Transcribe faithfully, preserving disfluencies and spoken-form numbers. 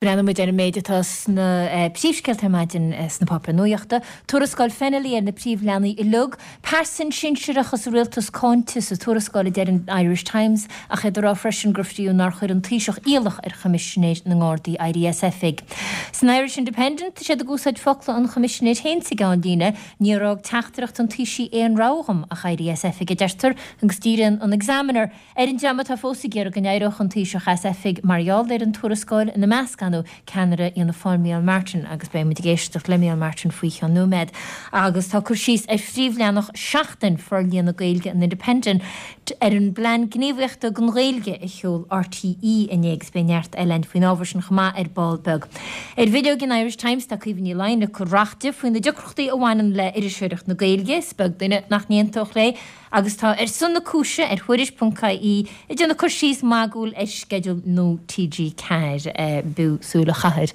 Breathnaímid ar an méid atá sna eh, príomhscéalta ar maidin eh, sna páipéir nuachta, Tuarascáil Fennelly ar na príomhleanaí uilig, pearsan sinsearach sa rialtas cáinte sa tuarascáil a deir an Irish Times ach iad ag rá freisin gur fiú nár chuir an Taoiseach iallach ar Choimisinéir na nGardaí éirí as oifig. San Irish Independent siad ag úsáid focla an Choimisinéir féin sa gceannlíne, níor fhág teachtaireacht an Taoisigh aon rogha dom ach éirí as oifig a deirtear agus díríonn an Examiner ar an dream atá fós ag iarraidh go n-éireodh an Taoiseach as oifig mar gheall ar an tuarascáil ina measc ceannaire Fhianna Fáil Micheál Martin agus beidh muid ag éisteacht le Micheál Martin faoi cheann nóiméad. agus tá cur síos ar phríomhleathanach Seachtain forlíonadh Gaeilge an Independent ar an bplean gníomhaíochta don Ghaeilge a sheol RTÉ inné agus beidh neart eile faoin ábhar sin chomh maith ar ball beag. Ar bhileog an Irish Times tá Caoimhe Ní Laighin ag cur racht faoi na deacrachtaí a bhaineann le iriseoireacht na Gaeilge, is beag duine nach n-aontódh léi, agus tá ar son na cúise ar thuairisc.ie ag déanamh cur síos magúil ar sceideal nua TG ceathair b'fhiú súil a chaitheamh